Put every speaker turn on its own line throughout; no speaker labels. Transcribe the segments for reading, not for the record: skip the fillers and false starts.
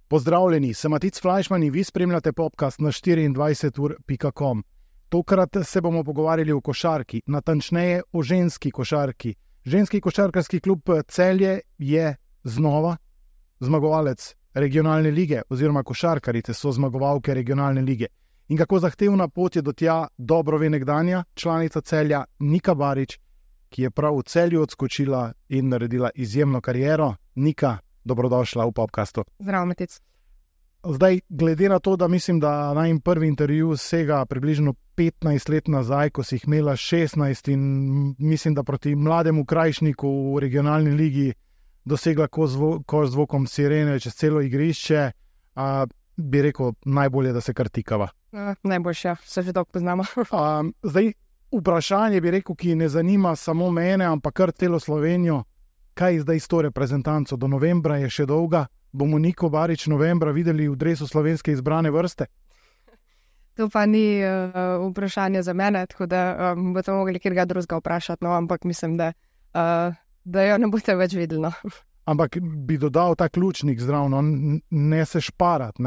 Pozdravljeni, sem Matic Flajšman in vi spremljate podcast na 24ur.com. Tokrat se bomo pogovarjali o košarki, natančneje o ženski košarki. Ženski košarkarski klub Celje je znova zmagovalec regionalne lige oziroma košarkarice so zmagovalke regionalne lige. In kako zahtevna pot je do tja, dobro ve nekdanja članica Celja Nika Barič, ki je prav v Celju odskočila in naredila izjemno kariero. Nika, dobrodošla v podcastu.
Zdravo, Matic.
Zdaj, glede na to, da mislim, da najin prvi intervju sega približno 15 let nazaj, ko si jih imela 16 in mislim, da proti mlademu Krajišniku v regionalni ligi dosegla koš z vokom sirene čez celo igrišče, bi rekel, najbolje, da se kar tikava.
Najboljše, se že dolgo poznamo.
Zdaj, vprašanje bi rekel, ki ne zanima samo mene, ampak kar celo Slovenijo. Kaj je zdaj s to reprezentanco? Do novembra je še dolga. Bomo Niko Barič novembra videli v dresu slovenske izbrane vrste?
To pa ni vprašanje za mene, tako da boste mogli kjerga drugega vprašati, no, ampak mislim, da jo ne boste več videli. No.
Ampak bi dodal ta ključnik zdravno, ne se šparati.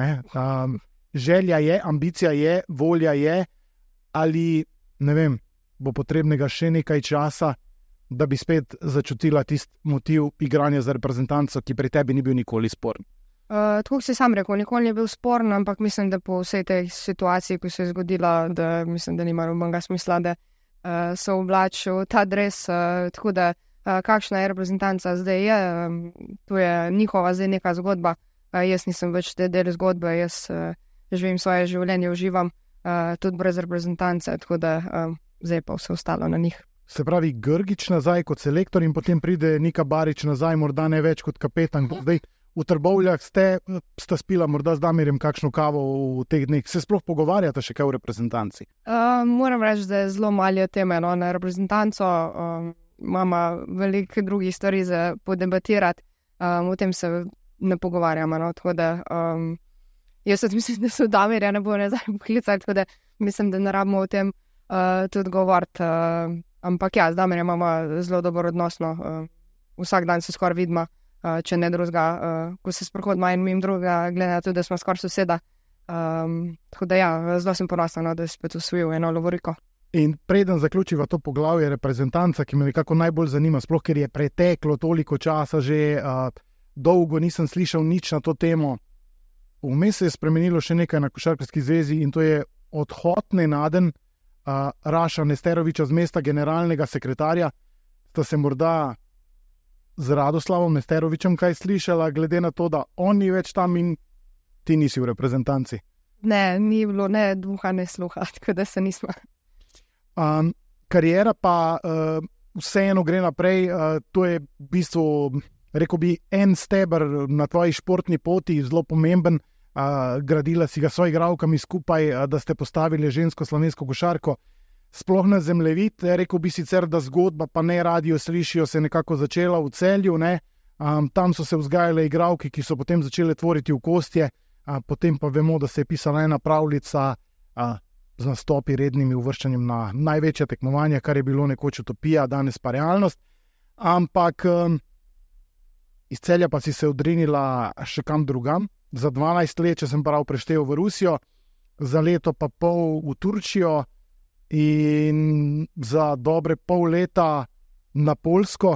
Želja je, ambicija je, volja je, ali ne vem, bo potrebnega še nekaj časa, da bi spet začutila tisti motiv igranja za reprezentanco, ki pri tebi ni bil nikoli sporen?
Tako si sam rekel, nikoli ni bil sporen, ampak mislim, da po vsej tej situaciji, ko se je zgodila, da mislim, da nima nobenega smisla, da se oblačil ta dres, tako da kakšna je reprezentanca zdaj je, to je njihova zdaj neka zgodba, jaz nisem več te del zgodbe, jaz živim svoje življenje, uživam tudi brez reprezentance, tako da zdaj pa vse ostalo na njih.
Se pravi, Grgič nazaj kot selektor in potem pride Nika Barič nazaj, morda ne več kot kapetan. Zdaj, v Trbovljah sta spila morda z Damirjem kakšno kavo v teh dneh. Se sploh pogovarjate še kaj v reprezentanci?
Moram reči, da je zelo malo teme na reprezentanco. Imamo veliko drugih stvari za podebatirati. O tem se ne pogovarjamo. No? Tako da jaz mislim, da so Damirja ne bo nazaj poklicati, tako da mislim, da ne rabimo o tem tudi govoriti. Ampak ja, z Damirjem imamo zelo dober odnos, vsak dan se skoraj vidimo, če ne drugega, ko se sprehodimo in mimo drugega, glede na to, da smo skoraj soseda. Tako da ja, zelo sem ponosna, da je spet osvojil eno lovoriko.
In preden zaključiva to poglavje reprezentanca, ki me nekako najbolj zanima, sploh ker je preteklo toliko časa že, dolgo nisem slišal nič na to temo. Vmes se je spremenilo še nekaj na Košarkarski zvezi in to je odhod nenaden Raša Nesteroviča z mesta generalnega sekretarja. Sta se morda z Radoslavom Nesterovičem kaj slišala, glede na to, da on ni več tam in ti nisi v reprezentanci?
Ne, ni bilo ne duha, ne sluha, tako da se nismo.
Kariera pa vseeno gre naprej, to je v bistvu, rekel bi, en steber na tvoji športni poti, zelo pomemben. Gradila si ga s soigralkami skupaj, da ste postavili žensko slovensko košarko. Sploh na zemljevid, rekel bi sicer, da zgodba, pa ne radio slišijo, se nekako začela v Celju. Tam so se vzgajale igralke, ki so potem začele tvoriti v kostje, potem pa vemo, da se je pisala ena pravljica z nastopi rednimi uvrščanjem na največja tekmovanja, kar je bilo nekoč utopija, danes pa realnost. Ampak iz Celja pa si se odrinila še kam drugam. Za 12 let, če sem prav preštel, v Rusijo, za leto pa pol v Turčijo in za dobre pol leta na Poljsko.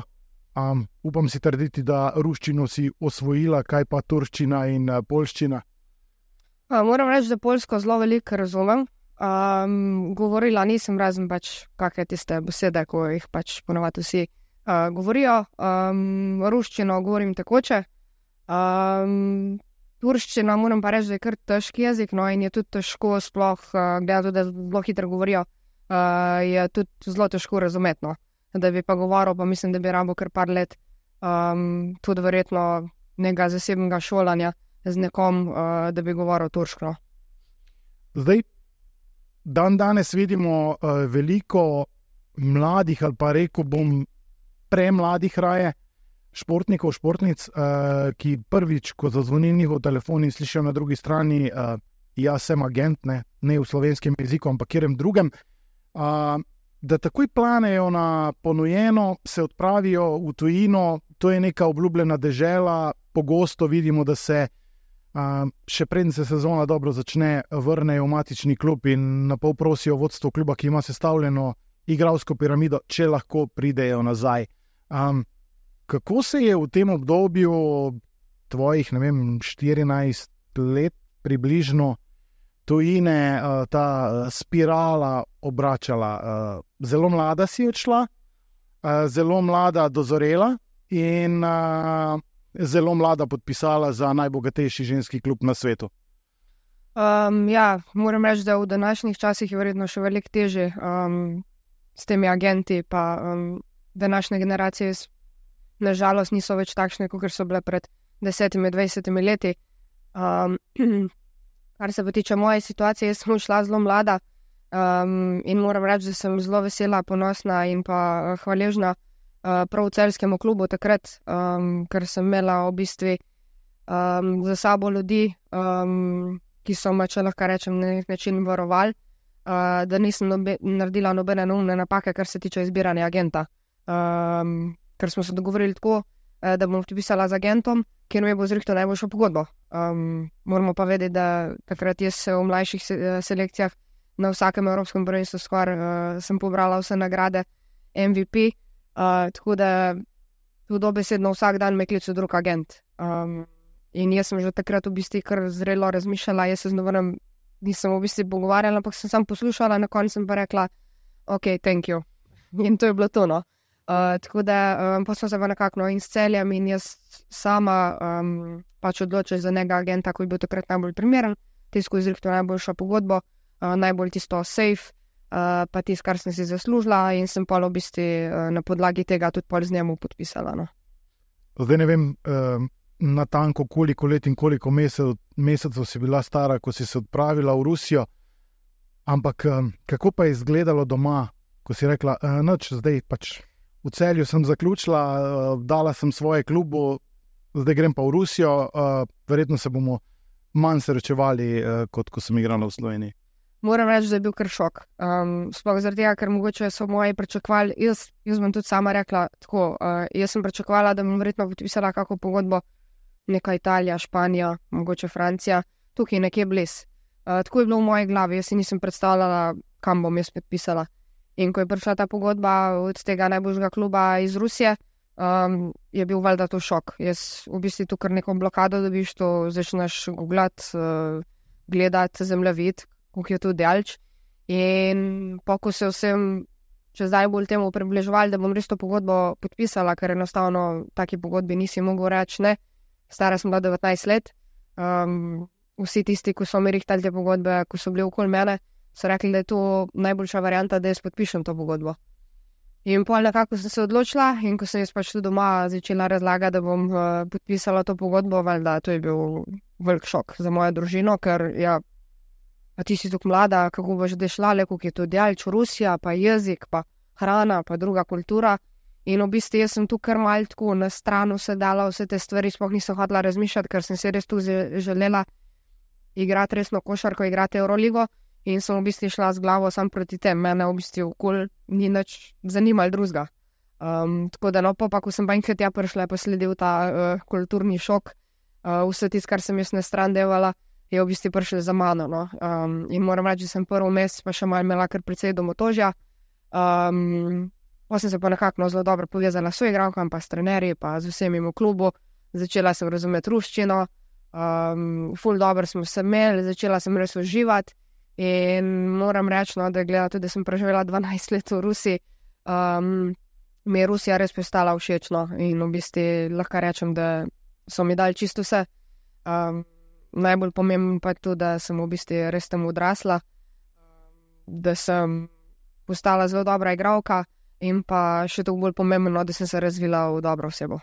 Upam si trditi, da ruščino si osvojila, kaj pa turščina in poljščina?
Moram reči, da Poljsko zelo veliko razumem. Govorila nisem razen pač kakšne tiste besede, ko jih pač ponovadi vsi govorijo. Ruščino govorim tekoče. Turščina, moram pa reči, da je kar težki jezik, no, in je tudi težko sploh, glede da zelo hitro govorijo, je tudi zelo težko razumeti, no. Da bi pa govoril, pa mislim, da bi rabo kar par let, tudi verjetno nekega zasebnega šolanja z nekom, da bi govoril turško.
Zdaj, danes vidimo veliko mladih, ali pa rekel bom premladih raje, športnikov, športnic, ki prvič, ko zazvoni njihov telefon in slišijo na drugi strani, jaz sem agent, ne v slovenskem jeziku, ampak kjerem drugem, da takoj planejo na ponujeno, se odpravijo v tujino, to je neka obljubljena dežela, pogosto vidimo, da se še preden se sezona dobro začne, vrnejo v matični klub in na pol prosijo vodstvo kluba, ki ima sestavljeno igralsko piramido, če lahko pridejo nazaj. Kako se je v tem obdobju tvojih, 14 let približno tujine ta spirala obračala? Zelo mlada si odšla, zelo mlada dozorela in zelo mlada podpisala za najbogatejši ženski klub na svetu.
Moram reči, da v današnjih časih je verjetno še veliko težje s temi agenti, pa današnje generacije nažalost niso več takšne, kot so bile pred 10-20 leti. Kar se pa tiče moje situacije, jaz sem šla zelo mlada in moram reči, da sem zelo vesela, ponosna in pa hvaležna prav celjskemu klubu takrat, ker sem imela v bistvu za sabo ljudi, ki so me, če lahko rečem, na nek način varovali, da nisem naredila nobene neumne napake, kar se tiče izbiranja agenta. Ker smo se dogovorili tako, da bom podpisala z agentom, ki mi bo zrihtal najboljšo pogodbo. Moramo pa vedeti, da takrat jaz v mlajših selekcijah na vsakem evropskem prvenstvu skoraj sem pobrala vse nagrade MVP, tako da tu dobesedno vsak dan me kliče drug agent. In jaz sem že takrat v bistvu kar zrelo razmišljala, jaz se z novenem nisem v bistvu pogovarjala, ampak sem samo poslušala, na koncu sem pa rekla, ok, thank you. In to je bilo to, no. Tako da pa smo se pa nekako in s Celjem in jaz sama pač odločila za njega agenta, ko je bil takrat najbolj primeren, tisto izrihtal najboljšo pogodbo, najbolj tisto safe, pa tisto, kar sem si zaslužila in sem pa v bistvu na podlagi tega tudi pol z njemu podpisala. No.
Zdaj ne vem natanko koliko let in koliko mesecev si bila stara, ko si se odpravila v Rusijo, ampak kako pa je izgledalo doma, ko si rekla, noč, zdaj pač v Celju sem zaključila, dala sem svoje klubu, zdaj grem pa v Rusijo, verjetno se bomo manj srečevali, kot ko sem igrala v Sloveniji.
Moram reči, da je bil kar šok. Sploh zaradi tega, ker mogoče so moji pričakovali, jaz bom tudi sama rekla tako, jaz sem pričakovala, da bom verjetno podpisala kako pogodbo neka Italija, Španija, mogoče Francija, tukaj nekje bliz. Tako je bilo v moji glavi, jaz si nisem predstavljala, kam bom jaz podpisala. In ko je prišla ta pogodba od tega najboljšega kluba iz Rusije, je bil valjda to šok. Jaz v bistvu tu kar neko blokado dobiš, to začneš googlati, gledati zemljevid, kako je to daleč. In ko se vsem čez najbolj temu približevali, da bom res to pogodbo podpisala, ker enostavno taki pogodbi nisi mogel reči ne. Stara sem bila 19 let. Vsi tisti, ko so mi rihtali te pogodbe, ko so bili okoli mene, so rekli, da je to najboljša varianta, da jaz podpišem to pogodbo. In pol nekako sem se odločila in ko sem jaz pač tu doma začela razlagati, da bom podpisala to pogodbo, valjda to je bil velik šok za mojo družino, ker pa ti si tako mlada, kako boš zdaj šla, kako je to daleč, Rusija, pa jezik, pa hrana, pa druga kultura. In v bistvu jaz sem tu kar malo tako na stranu sedala, vse te stvari sploh nisem hotela razmišljati, ker sem se res tu želela igrati resno košarko, igrati Euroligo in sem v bistvu šla z glavo sam proti tem. Mene v bistvu okoli ni nič zanimalo drugega. Tako da pa ko sem pa enkrat tja prišla, je pa sledil ta kulturni šok. Vse tisto, kar sem jaz na stran devala, je v bistvu prišlo za mano. No. In moram reči, da sem prvi mesec pa še malo imela kar precej domotožja. Pa sem se pa nekako zelo dobro povezala s soigralkami, pa s trenerji, pa z vsemi v klubu. Začela sem razumeti ruščino, ful dobro smo se imeli, začela sem res uživati in moram reči, no, da gleda tudi, da sem preživela 12 let v Rusiji, mi je Rusija res postala všečno in v bistvu lahko rečem, da so mi dali čisto vse. Najbolj pomembno pa je to, da sem v bistvu res tam odrasla, da sem postala zelo dobra igralka in pa še to bolj pomembno, da sem se razvila v dobro osebo.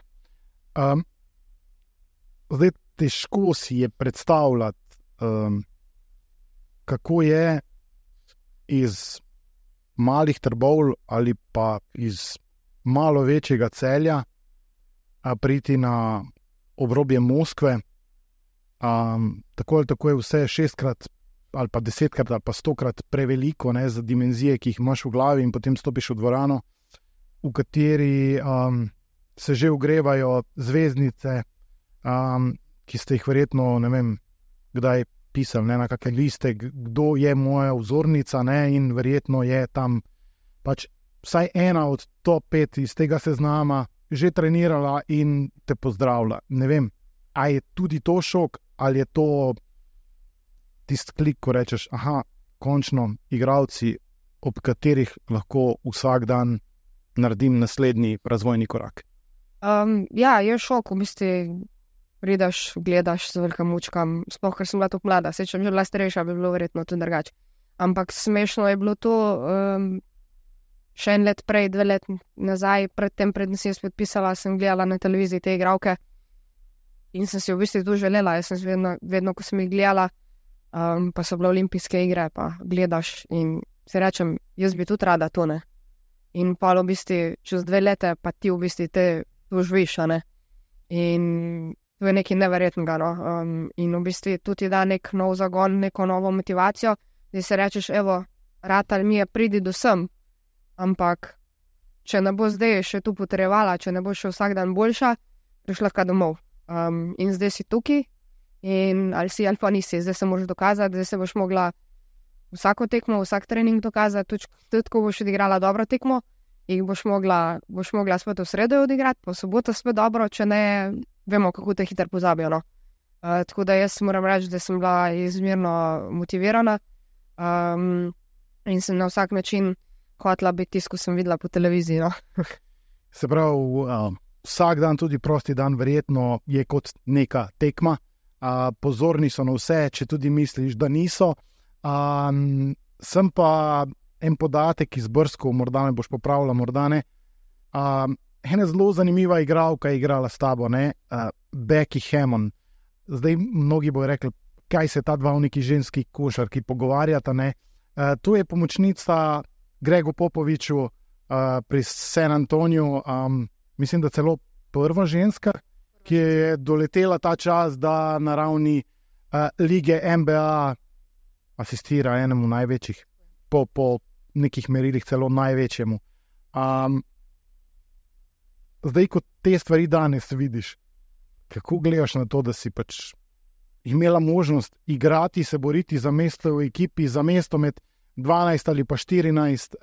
Zdaj težko si je predstavljati, kako je iz malih Trbovlj ali pa iz malo večjega Celja priti na obrobje Moskve. Tako ali tako je vse 6-krat ali pa 10-krat ali pa 100-krat preveliko, ne, za dimenzije, ki jih imaš v glavi, in potem stopiš v dvorano, v kateri se že ogrevajo zvezdnice, ki ste jih verjetno, ne vem, kdaj pisali, ne, na kakšne liste, kdo je moja vzornica, ne, in verjetno je tam pač vsaj ena od top 5 iz tega seznama že trenirala in te pozdravlja. Ne vem, a je tudi to šok, ali je to tisti klik, ko rečeš, aha, končno igralci, ob katerih lahko vsak dan naredim naslednji razvojni korak.
Ja, je šok, v bistvu prideš, gledaš z velikim mučkam, sploh, ker sem bila tako mlada, če bi bila starejša, bi bilo verjetno tudi drugače. Ampak smešno je bilo to, še en let prej, 2 let nazaj, predtem sem jaz podpisala, sem gledala na televiziji te igralke in sem si v bistvu to želela. Jaz sem vedno, ko sem jih gledala, pa so bile olimpijske igre, pa gledaš in si rečem, jaz bi tudi rada to, ne. In pa v bistvu čez 2 leta pa ti v bistvu te to živiš, ne. In to je nekaj neverjetnega, no. In v bistvu tudi da nek nov zagon, neko novo motivacijo, da si rečeš, evo, ratal mi je, pridi do sem, ampak če ne bo zdaj še tu potrebovala, če ne bo še vsak dan boljša, prišla lahko domov. In zdaj si tukaj in ali si ali pa nisi, zdaj se moraš dokazati, zdaj se boš mogla vsako tekmo, vsak trening dokazati, tudi ko boš odigrala dobro tekmo, jih boš mogla spet v sredo odigrati, po soboto spet dobro, če ne, vemo, kako te hitro pozabijo, no. Tako da jaz moram reči, da sem bila izmerno motivirana in sem na vsak način hotela biti tisto, ko sem videla po televiziji, no.
Se pravi, vsak dan, tudi prosti dan, verjetno je kot neka tekma. Pozorni so na vse, če tudi misliš, da niso. Sem pa en podatek izbrskal, morda me boš popravila, morda ne. Ena zelo zanimiva igralka je igrala s tabo, ne? Becky Hammon. Zdaj mnogi bojo rekli, kaj se ta dva v neki ženski košarki pogovarjata, ne? To je pomočnica Gregu Popoviču pri San Antoniju, mislim, da celo prva ženska, ki je doletela ta čas, da na ravni lige NBA asistira enemu največjih, po nekih merilih celo največjemu. Zdaj, ko te stvari danes vidiš, kako gledaš na to, da si pač imela možnost igrati, se boriti za mesto v ekipi, za mesto med 12 ali pa 14,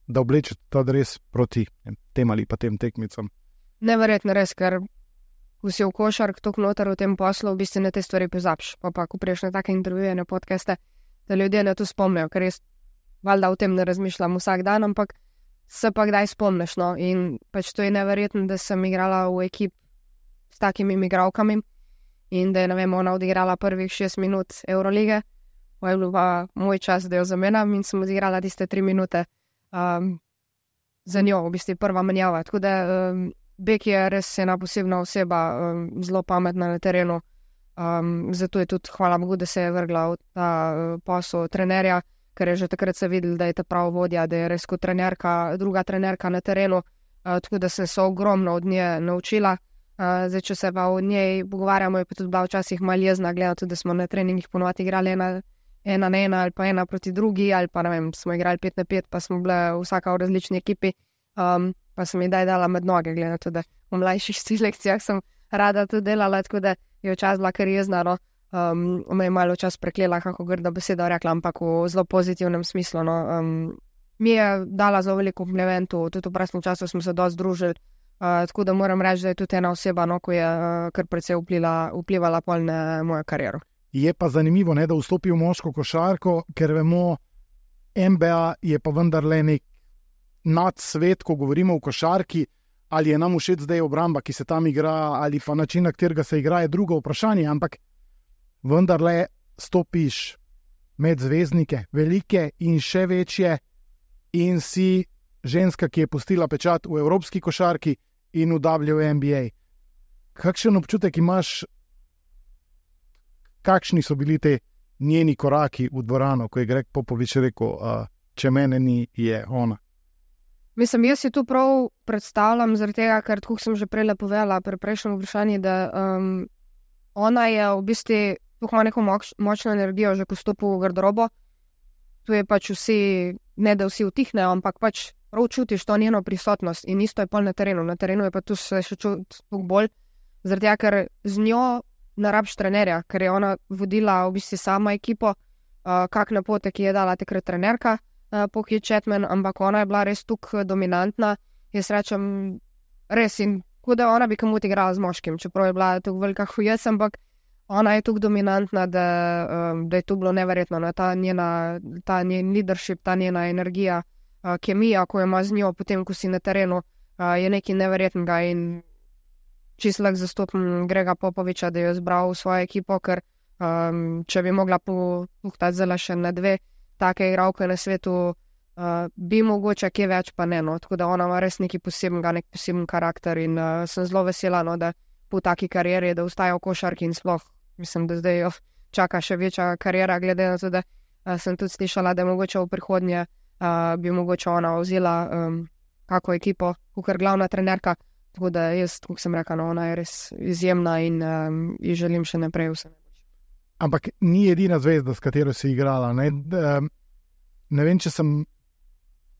da oblečeš ta dres proti tem ali pa tem tekmicam.
Neverjetno res, ker ko si v košark toliko noter v tem poslu, v bistvu na te stvari pozabiš. Pa ko priješ na take intervjuje, na podcaste, da ljudje na to spomnijo, ker jaz valjda o tem ne razmišljam vsak dan, ampak se pa kdaj spomniš, no. In pač to je neverjetno, da sem igrala v ekip s takimi igralkami in da je, ne vem, ona odigrala prvih 6 minut Eurolige, pa je bil pa moj čas, da jo zamenjam in sem odigrala tiste 3 minute za njo, v bistvu prva menjava. Tako da Beki je res ena posebna oseba, zelo pametna na terenu, zato je tudi, hvala Bogu, da se je vrgla v ta posel trenerja, ker je že takrat se videl, da je ta prav vodja, da je res kot trenerka, druga trenerka na terenu, tako da sem se ogromno od nje naučila. Zdaj, če se pa od njej pogovarjamo, je pa tudi bila včasih malo jezna, gleda tudi, da smo na treningih ponovadi igrali ena na ena ali pa ena proti drugi, ali pa ne vem, smo igrali 5 na 5, pa smo bile vsaka v različni ekipi, pa sem ji dala med noge, gleda tudi, da v mlajših selekcijah sem rada tudi delala, tako da je včasih bila kar jezna, no. Me je malo čas preklela, kako grda beseda rekla, ampak v zelo pozitivnem smislu, no. Mi je dala zelo veliko komplimentov, tudi v prostem času smo se dosti družili, tako da moram reči, da je tudi ena oseba, no, ko je kar precej vplivala pol na mojo kariero.
Je pa zanimivo, ne, da vstopi v moško košarko, ker vemo, NBA je pa vendarle nek nadsvet, ko govorimo o košarki, ali je nam všeč zdaj obramba, ki se tam igra, ali pa način, na katerega se igra, je drugo vprašanje, ampak vendarle stopiš med zvezdnike, velike in še večje, in si ženska, ki je pustila pečat v evropski košarki in v WNBA. Kakšen občutek imaš, kakšni so bili te njeni koraki v dvorano, ko je Greg Popovič rekel, če mene ni, je ona?
Mislim, jaz si tu prav predstavljam, zaradi tega, ker tako sem že prej povedala pri prejšnjem vprašanju, da ona je v bistvu tukaj ima neko močno energijo, že ko stopi v garderobo. Tu je pač vsi, ne da vsi utihnejo, ampak pač prav čutiš to njeno prisotnost in isto je pol na terenu. Na terenu je pa tu se še čuti bolj, zaradi tega, ker z njo ne rabiš trenerja, ker je ona vodila v bistvu sama ekipo, kak napotek je dala takrat trenerka, Poki Chapman, ampak ona je bila res tukaj dominantna. Jaz rečem, res in kot da ona bi kamut igrala z moškim, čeprav je bila tukaj velika hujes, ampak ona je tukaj dominantna, da je to bilo neverjetno. Ta njen leadership, ta njena energija, kemija, ko jo ima z njo, potem, ko si na terenu, je nekaj neverjetnega in čisto lahko zastopim Grega Popoviča, da jo je zbral v svojo ekipo, ker če bi mogla puhtati zelo še na 2 take igralke na svetu, bi mogoče kje več, pa ne. No. Tako da ona ima res nekaj posebnega, nek poseben karakter in sem zelo vesela, no, da po taki karieri, da ustaja v košarki in sploh, mislim, da zdaj jo čaka še večja kariera, glede na to, da sem tudi slišala, da mogoče v prihodnje bi mogoče ona vzela kako ekipo, kakor glavna trenerka. Tako da jaz, kot sem rekla, no, ona je res izjemna in ji želim še naprej vse.
Ampak ni edina zvezda, s katero si igrala. Ne vem, če sem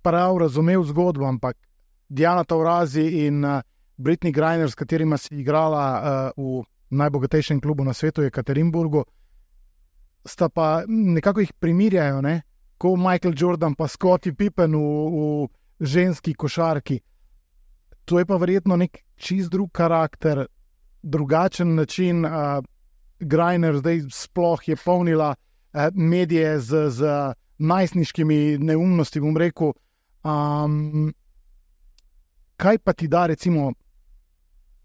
prav razumel zgodbo, ampak Diana Taurasi in Brittney Griner, s katerima si igrala v najbogatejšem klubu na svetu, Jekaterinburgu, sta pa nekako jih primirjajo, ne? Ko Michael Jordan pa Scottie Pippen v ženski košarki. To je pa verjetno nek čist drug karakter, drugačen način. Griner zdaj sploh je polnila medije z najstniškimi neumnosti, bom rekel. Kaj pa ti da recimo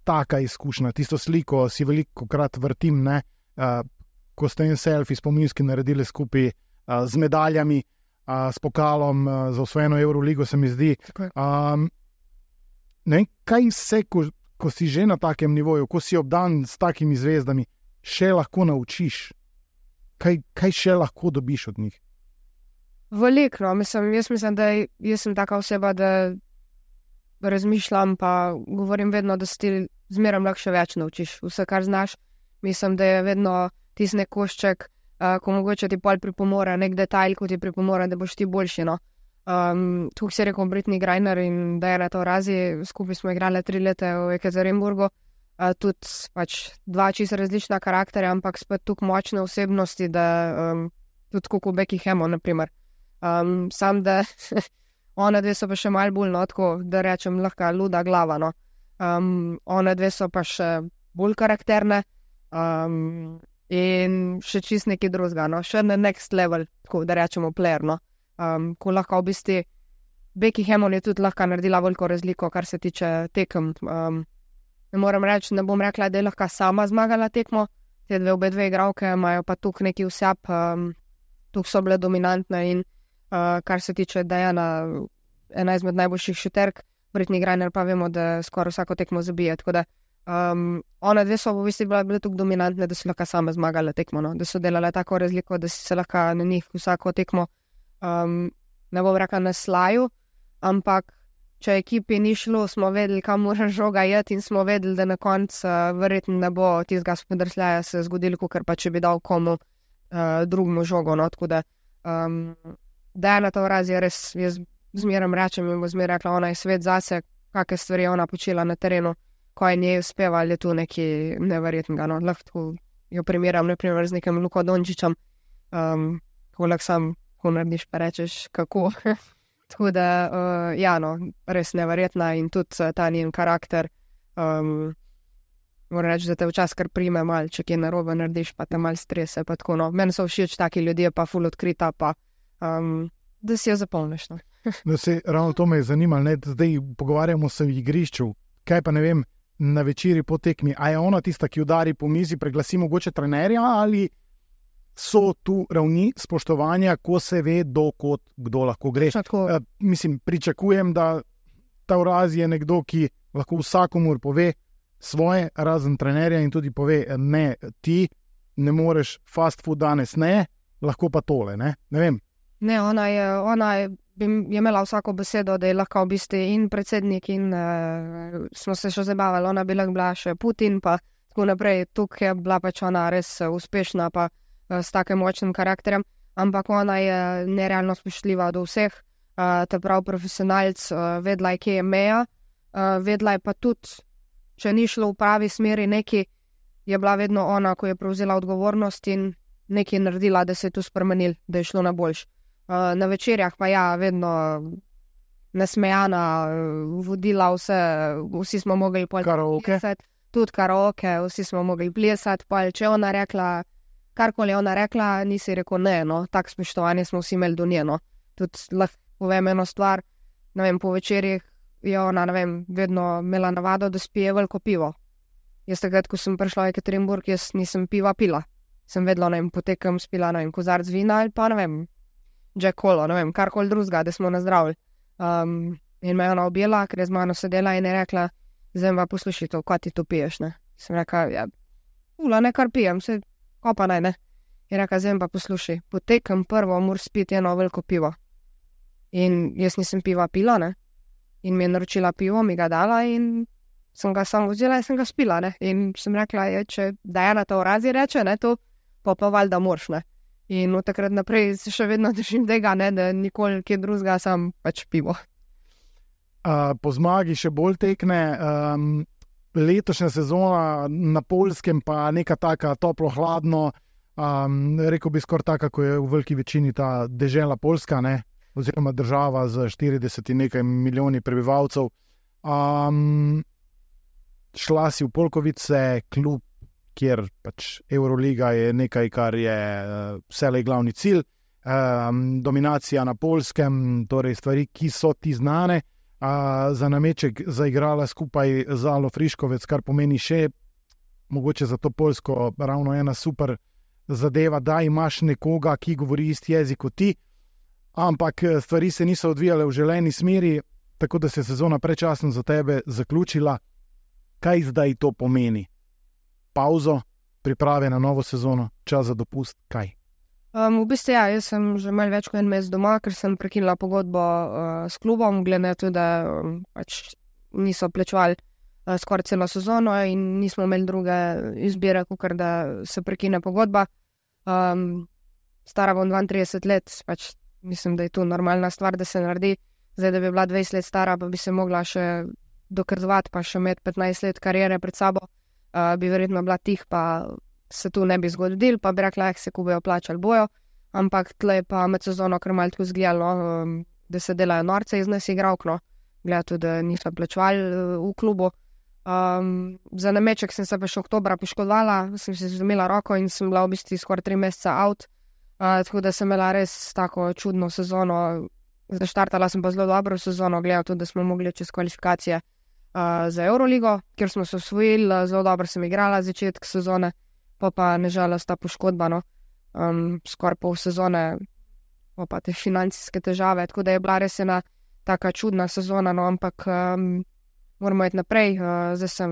taka izkušnja, tisto sliko si velikokrat vrtim, ne? Ko ste en selfie spominski naredili skupaj z medaljami, s pokalom za osvojeno Euroligo, se mi zdi. Ne, kaj se, ko si že na takem nivoju, ko si obdan s takimi zvezdami, še lahko naučiš? Kaj še lahko dobiš od njih?
Veliko, no. Jaz mislim, da jaz sem taka oseba, da razmišljam, pa govorim vedno, da si ti zmeraj lahko še več naučiš. Vse, kar znaš, mislim, da je vedno tisti nek košček, ko mogoče ti pol pripomore, nek detajl, ko ti pripomore, da boš ti boljši, no. Tukaj si rekel Brittney Griner in Diana Taurasi, skupaj smo igrali 3 leta v Jekaterinburgu, tudi pač 2 čisto različna karakterja, ampak spet tukaj močne osebnosti, da tudi kot Becky Hammond, na primer. Sam, da ona dve so pa še malo bolj, no, tako, da rečem, lahko luda glava, no. Ona dve so pa še bolj karakterne in še čist nekaj drugega, no. Še na next level, tako da rečemo player, no. Ko lahko v bistvu Becky Hammond je tudi lahko naredila veliko razliko, kar se tiče tekem. Ne moram reči, ne bom rekla, da je lahko sama zmagala tekmo, te obe dve igralke imajo pa tukaj neki vsep, tukaj so bile dominantne in kar se tiče Diana, ena izmed najboljših šuterk, Brittney Griner pa vemo, da skoraj vsako tekmo zabije, tako da ona dve so v bistvu bile tukaj dominantne, da so lahko sama zmagala tekmo, no? Da so delale tako razliko, da si se lahko na njih vsako tekmo ne bom rekla na slaju, ampak če ekipi ni šlo, smo vedeli, kam mora žoga jeti in smo vedeli, da na koncu verjetno ne bo tistega spodrsljaja se zgodilo, kakor pa če bi dal komu drugemu žogo, no, tako da Diana Taurasi je res, jaz zmeraj rečem in bo zmeraj rekla, ona je svet zase, kakve stvari je ona počela na terenu, ko je njej uspevali, je tu nekaj neverjetnega, no, lahko jo primeram, naprimer z nekim Luko Dončićem, ko lahko sam ko narediš, pa rečeš, kako. Tako da, ja, no, res neverjetna in tudi ta njen karakter, moram reči, da te včasih kar prime malo, če kje narobe narediš, pa te malo strese, pa tako, no. Meni so všeč taki ljudje, pa ful odkrita, pa da si jo zapolniš, no.
Da se ravno to me je zanimalo, ne, zdaj pogovarjamo se v igrišču, kaj pa ne vem, na večeri po tekmi, a je ona tista, ki udari po mizi, preglasi mogoče trenerja, ali so tu ravni spoštovanja, ko se ve, dokot kdo lahko gre. Mislim, pričakujem, da Taurasi je nekdo, ki lahko vsakomur pove svoje, razen trenerja, in tudi pove, ne, ti ne moreš fast food danes, ne, lahko pa tole, ne vem.
Ne, ona je imela vsako besedo, da je lahko v bistvu in predsednik in smo se še zabavali, ona bi lahko bila še Putin, pa tako naprej. Tukaj je bila pač ona res uspešna, pa s takim močnim karakterjem, ampak ona je nerealno spoštljiva do vseh, ta prav profesionalc, vedla je, kje je meja, vedla je pa tudi, če ni šlo v pravi smeri neki, je bila vedno ona, ko je prevzela odgovornost in nekaj naredila, da se je to spremenil, da je šlo na boljš. Na večerjah pa ja, vedno nasmejana, vodila vse, vsi smo mogli plesati, tudi karaoke, vsi smo mogli plesati, pa če ona rekla, karkoli je ona rekla, nisi rekel ne, no, tak spoštovanje smo vsi imeli do nje, no. Tudi lahko povem eno stvar, ne vem, po večerjih je ona, ne vem, vedno imela navado, da spije veliko pivo. Jaz takrat, ko sem prišla v Ekaterinburg, jaz nisem piva pila. Sem vedela, ne vem, potekam spila, ne vem, kozarc vina ali pa, ne vem, Jack Colo, ne vem, karkoli drugega, da smo nazdravili. In me je ona objela, ker je z mano sedela in je rekla, zdaj pa poslušaj to, kaj ti to piješ, ne. Sem rekla, ja, ne, kar pijem, se kopa naj, ne. Je rekla, zdaj pa poslušaj, potekam prvo, moraš spiti eno veliko pivo. In jaz nisem piva pila, ne. In mi je naročila pivo, mi ga dala in sem ga samo vzela in sem ga spila, ne. In sem rekla, če Dajana to razi reče, ne, to pa valjda moraš, ne. In od takrat naprej se še vedno držim tega, ne, da nikoli kje drugega, sam pač pivo.
Po zmagi še bolj tekne, letošnja sezona na Poljskem pa neka taka toplo-hladno, rekel bi skoraj taka, ko je v veliki večini ta dežela Poljska, ne, oziroma država z 40 in nekaj milijoni prebivalcev. Šla si v Polkovice, klub, kjer pač Euroliga je nekaj, kar je vselej glavni cilj. Dominacija na Poljskem, torej stvari, ki so ti znane. Za nameček zaigrala skupaj z Alo Friškovec, kar pomeni še mogoče za to Poljsko ravno ena super zadeva, da imaš nekoga, ki govori isti jezik kot ti, ampak stvari se niso odvijale v želeni smeri, tako da se je sezona predčasno za tebe zaključila. Kaj zdaj to pomeni? Pauzo, priprave na novo sezono, čas za dopust, kaj?
V bistvu ja, jaz sem že malo več kot en mesec doma, ker sem prekinila pogodbo s klubom, glede na to, da pač niso plačevali skoraj celo sezono in nismo imeli druge izbire, kakor da se prekine pogodba. Stara bom 32 let, pač mislim, da je to normalna stvar, da se naredi. Zdaj, da bi bila 20 let stara, pa bi se mogla še dokazovati, pa še imeti 15 let karijere pred sabo, bi verjetno bila tih, pa se tu ne bi zgodil, pa bi rekla, se ko bojo plačali bojo, ampak tle je pa med sezono kar malo tako zgledalo, da se delajo norce iz nas igralk, no, gleda tudi, da niso plačevali v klubu. Za nameček sem se pa še oktobra poškodovala, sem se zlomila roko in sem bila v bistvu skoraj 3 mesece out, tako da sem imela res tako čudno sezono. Zaštartala sem pa zelo dobro sezono, gleda tudi, da smo mogli čez kvalifikacije za Euroligo, kjer smo se osvojili, zelo dobro sem igrala začetek sezone, pa nežalost ta poškodba, no, skoraj pol sezone, pa te financijske težave, tako da je bila res ena taka čudna sezona, no, ampak moramo iti naprej, zdaj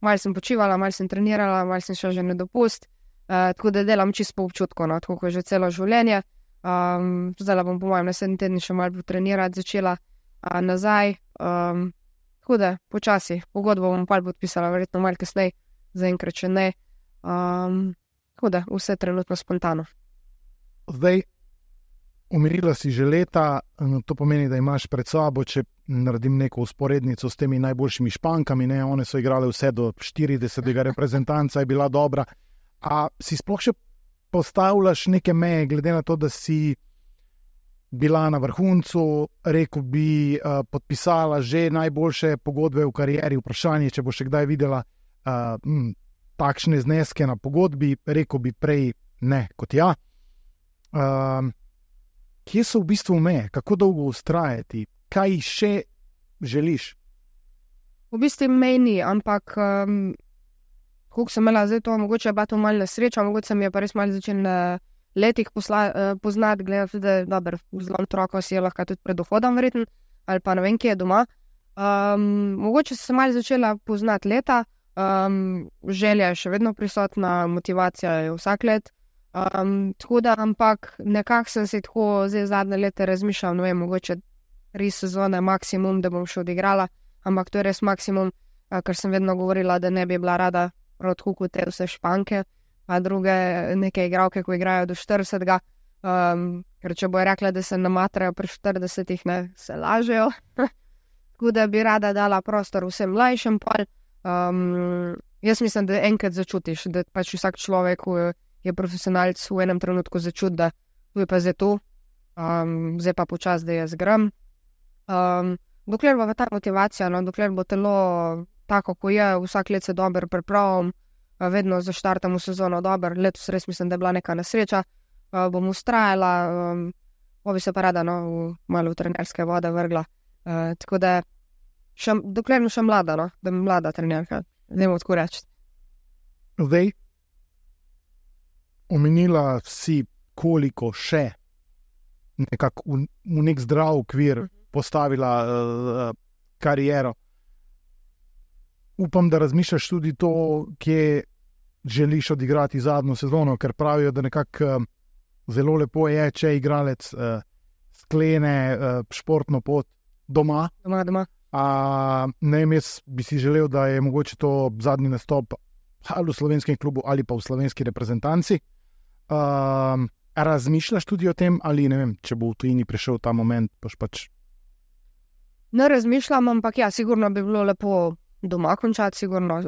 malo sem počivala, malo sem trenirala, malo sem šla že na dopust, tako da delam čisto po občutku, no, tako kot že celo življenje. Zdaj bom po mojem naslednji teden še malo potrenirati, začela nazaj, tako da počasi, pogodbo bom pa podpisala verjetno malo kasneje, zaenkrat še ne. Tako da, vse trenutno spontano.
Zdaj, umirila si že leta, to pomeni, da imaš pred sabo, če naredim neko usporednico s temi najboljšimi Špankami, ne, one so igrale vse do 40. reprezentanca, je bila dobra. A si sploh še postavljaš neke meje, glede na to, da si bila na vrhuncu, rekel bi, podpisala že najboljše pogodbe v karieri, vprašanje, če bo še kdaj videla takšne zneske na pogodbi, rekel bi prej ne kot ja. Kje so v bistvu meje? Kako dolgo ustrajati? Kaj še želiš?
V bistvu mej ni, ampak koliko sem imela zdaj to, mogoče je bila to malo nesreča, mogoče sem je pa res malo začel na letih poznati, gledati, da je dober, zelo otroko si je lahko tudi pred dohodom verjetno, ali pa ne vem, kje je doma. Mogoče sem malo začela poznati leta, želja je še vedno prisotna, motivacija je vsak let, tako da, ampak nekako sem se tako zdaj zadnje leta razmišljala, ne vem, mogoče 3 sezone maksimum, da bom še odigrala, ampak to je res maksimum, ker sem vedno govorila, da ne bi bila rada prav tako kot te vse Španke, pa druge neke igralke, ko igrajo do 40. Ker če bojo rekla, da se namatrajo pri 40, ne, se lažejo. Tako da bi rada dala prostor vsem mlajšim pol. Jaz mislim, da enkrat začutiš, da pač vsak človek je profesionalc v enem trenutku začuti, da tu je pa zdaj to, zdaj pa počas, da jaz grem. Dokler bo ta motivacija, no, dokler bo telo tako, ko je, vsak let se dobro pripravim, vedno zaštartam v sezono dobro, letos res mislim, da je bila neka nesreča, bom ustrajala, bi se pa rada malo v trenerske vode vrgla. Tako da, dokler še mlada, no, da mi mlada trenerka, ne bom tako reči.
Zdaj, omenila si, koliko še nekako v nek zdrav okvir postavila kariero. Upam, da razmišljaš tudi to, kje želiš odigrati zadnjo sezono, ker pravijo, da nekako zelo lepo je, če igralec sklene športno pot doma.
Doma.
Ne vem, jaz bi si želel, da je mogoče to zadnji nastop ali v slovenskem klubu ali pa v slovenski reprezentanci. Razmišljaš tudi o tem, ali ne vem, če bo v tujini prišel ta moment, pač.
Ne razmišljam, ampak ja, sigurno bi bilo lepo doma končati, sigurno.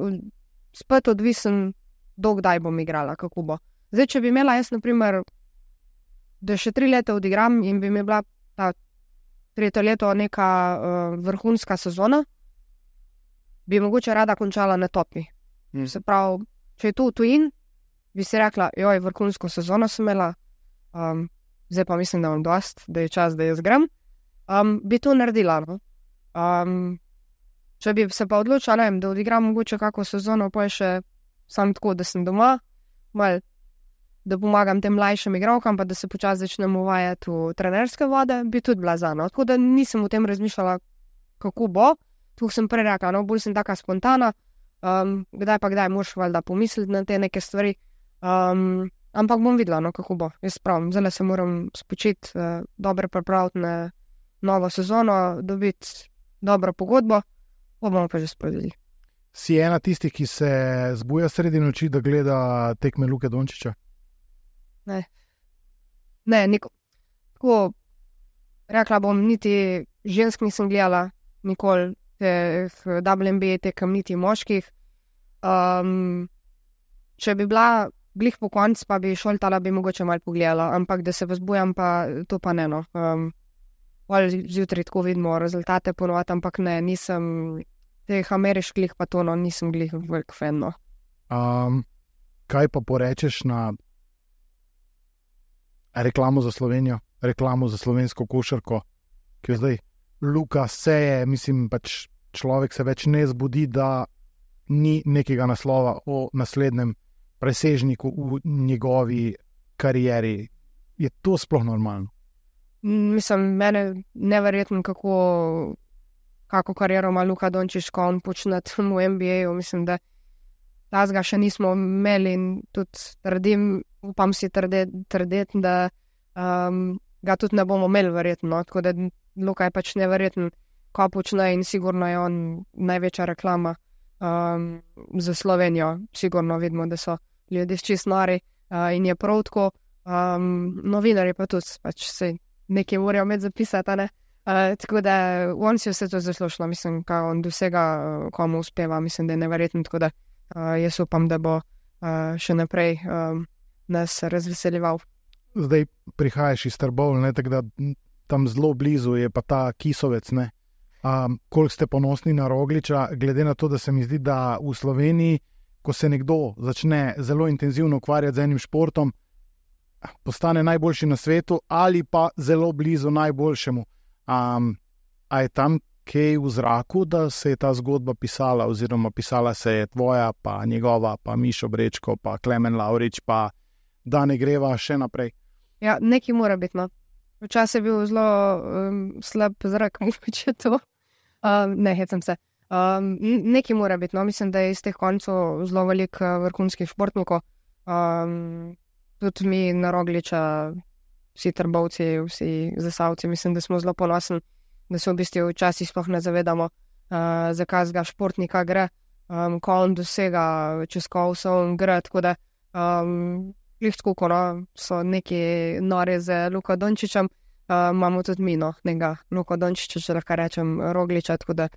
Spet odvisen, dokdaj bom igrala, kako bo. Zdaj, če bi imela jaz, na primer, da še 3 leta odigram in bi mi bila ta 3. leto neka vrhunska sezona, bi mogoče rada končala na topi. Se pravi, če je to v tujini, bi si rekla, vrhunsko sezono sem imela, zdaj pa mislim, da imam dost, da je čas, da jaz grem, bi to naredila. No? Če bi se pa odločila, da odigram mogoče kako sezono, pa je še sam tako, da sem doma, da pomagam tem mlajšim igralkam, pa da se počasi začnem uvajati v trenerske vode, bi tudi bila za. No? Tako da nisem o tem razmišljala, kako bo. Tu sem prej rekla, no, bolj sem taka spontana, kdaj pa kdaj moraš valjda pomisliti na te neke stvari. Ampak bom videla, no, kako bo. Jaz pravim, zdaj se moram spočiti, dobro pripraviti na novo sezono, dobiti dobro pogodbo, pa bomo pa že spovedali.
Si ena tistih, ki se zbuja sredi noči, da gleda tekme Luke Dončića?
Ne, tako rekla bom, niti žensk nisem gledala, nikoli teh WNBA tekem, niti moških. Če bi bila glih po konc, pa bi šoltala, bi mogoče malo pogledala, ampak da se vzbujam, pa to pa ne, no. Zjutraj tako vidimo rezultate ponovati, ampak ne, nisem teh ameriških pa to, no, nisem glih velik fan, no.
Kaj pa porečeš na reklamo za Slovenijo, reklamo za slovensko košarko, ki je zdaj Luka seje, mislim, pač človek se več ne zbudi, da ni nekega naslova o naslednjem presežniku v njegovi karieri. Je to sploh normalno?
Mislim, mene neverjetno, kako kariero ima Luka Dončić, ko on počne v NBA-ju. Mislim, da tazga še nismo imeli in tudi trdim, upam si trdeti, da ga tudi ne bomo imeli verjetno. Tako da Luka je pač neverjetno, ko počne in sigurno je on največja reklama za Slovenijo. Sigurno vidimo, da so ljudje čist nori in je prav tako. Novinarji pa tudi, pač se nekaj morajo med zapisati, ne? Tako da on si vse to zaslužilo, mislim, kaj on dosega, komu uspeva, mislim, da je neverjetno, tako da jaz upam, da bo še naprej nas razveseljeval.
Zdaj prihajaš iz Trbovlja, tako da tam zelo blizu je pa ta Kisovec, ne? Koliko ste ponosni na Rogliča, glede na to, da se mi zdi, da v Sloveniji, ko se nekdo začne zelo intenzivno ukvarjati z enim športom, postane najboljši na svetu ali pa zelo blizu najboljšemu. A je tam kaj v zraku, da se je ta zgodba pisala, oziroma pisala se je tvoja, pa njegova, pa Mišo Brečko, pa Klemen Lavrič, pa da ne greva še naprej?
Ja, nekaj mora biti, no. Včasih je bil zelo slab zrak, mogoče to. Ne, hecam se. Nekaj mora biti, no. Mislim, da je iz teh koncev zelo veliko vrhunskih športnikov. Tudi mi na Rogliča, vsi Trbovci, vsi Zasavci, mislim, da smo zelo ponosni, da se v bistvu včasih sploh ne zavedamo, za kakega športnika gre. ko on dosega čez Kovsov grad, tako da lihtko, so neki nori z Luko Dončićem, imamo tudi mi, nekega Luko Dončića, če lahko rečem, Rogliča, tako da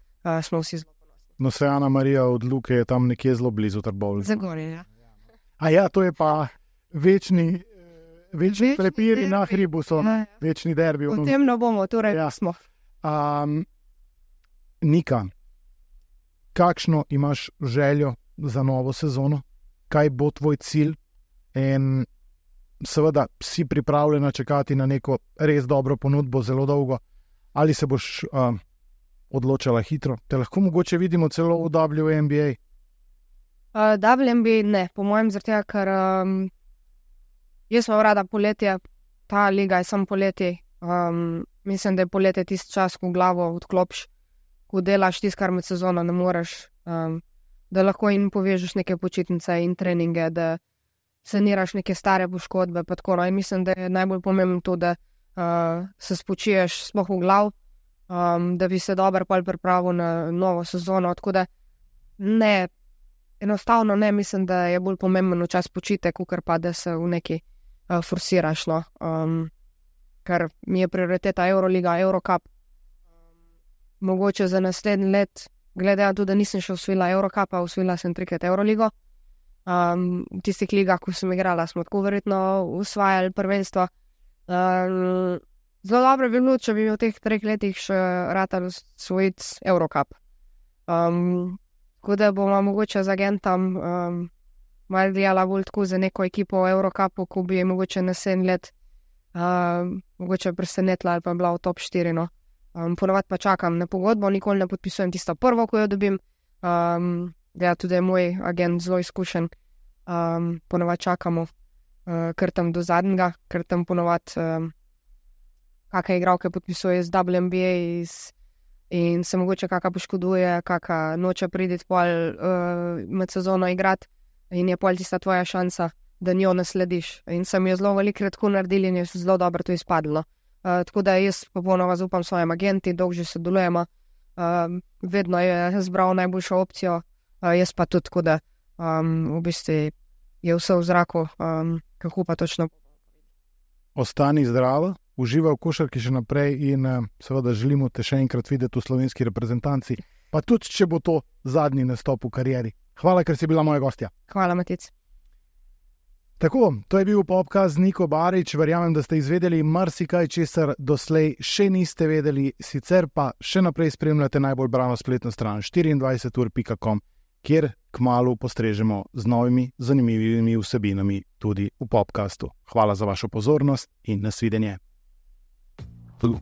smo vsi zelo ponosni.
No, se Ana Marija od Luke je tam nekje zelo blizu Trbovljice.
Zagorje, ja.
A ja, to je pa večni prepiri na hribu, so večni derbi.
V tem ne bomo, torej smo.
Nika, kakšno imaš željo za novo sezono? Kaj bo tvoj cilj? In seveda si pripravljena čakati na neko res dobro ponudbo zelo dolgo? Ali se boš odločala hitro? Te lahko mogoče vidimo celo v WNBA?
WNBA ne, po mojem zaradi, ker jaz sem rada poletje, ta liga je samo poletje. Mislim, da je poletje tisti čas, ko glavo odklopiš, ko delaš tisto, kar med sezono ne moreš, da lahko in povežeš neke počitnice in treninge, da saniraš neke stare poškodbe. Pa tako, in mislim, da je najbolj pomembno to, da se spočiješ sploh v glav, da bi se dobro pripravil na novo sezono. Tako da ne, enostavno ne, mislim, da je bolj pomemben čas počitek, kakor pa da se v neki forsiraš. Ker mi je prioriteta Euroliga, Eurocup. Mogoče za naslednji let, glede na to, da nisem še osvojila Eurocupa, osvojila sem 3-krat Euroligo. V tistih ligah, ko sem igrala, smo tako verjetno osvajali prvenstvo. Zelo dobro bi bilo, če bi v teh 3 letih še ratalo osvojiti Eurocup. Tako da bomo mogoče z agentom malo delala bolj tako za neko ekipo v Eurocupu, ko bi mogoče naslednji let mogoče presenetila ali pa bila v top 4. Ponovadi pa čakam na pogodbo, nikoli ne podpisujem tisto prvo, ko jo dobim. Tudi je moj agent zelo izkušen. Ponovadi čakamo kar tam do zadnjega, ker tam ponovadi kakšne igralke podpisuje z WNBA in se mogoče kakšna poškoduje, kakšna noče priti pol med sezono igrati in je pol tista tvoja šansa, da njo naslediš. In sem jo zelo velikokrat tako naredili in je zelo dobro to izpadlo. Tako da jaz popolnoma zaupam svojim agenti, dolgo že sodelujemo. Vedno je zbral najboljšo opcijo, jaz pa tudi, tako da v bistvu je vse v zraku, kako pa točno.
Ostani zdrava, uživaj v košarki še naprej in seveda želimo te še enkrat videti v slovenski reprezentanci, pa tudi, če bo to zadnji nastop v karieri. Hvala, ker si bila moja gostja.
Hvala, Matic.
Tako, to je bil podcast z Niko Barič. Verjamem, da ste izvedeli marsikaj, česar doslej še niste vedeli, sicer pa še naprej spremljate najbolj brano spletno stran 24ur.com, kjer kmalu postrežemo z novimi zanimivimi vsebinami tudi v podcastu. Hvala za vašo pozornost in nasvidenje. Hvala.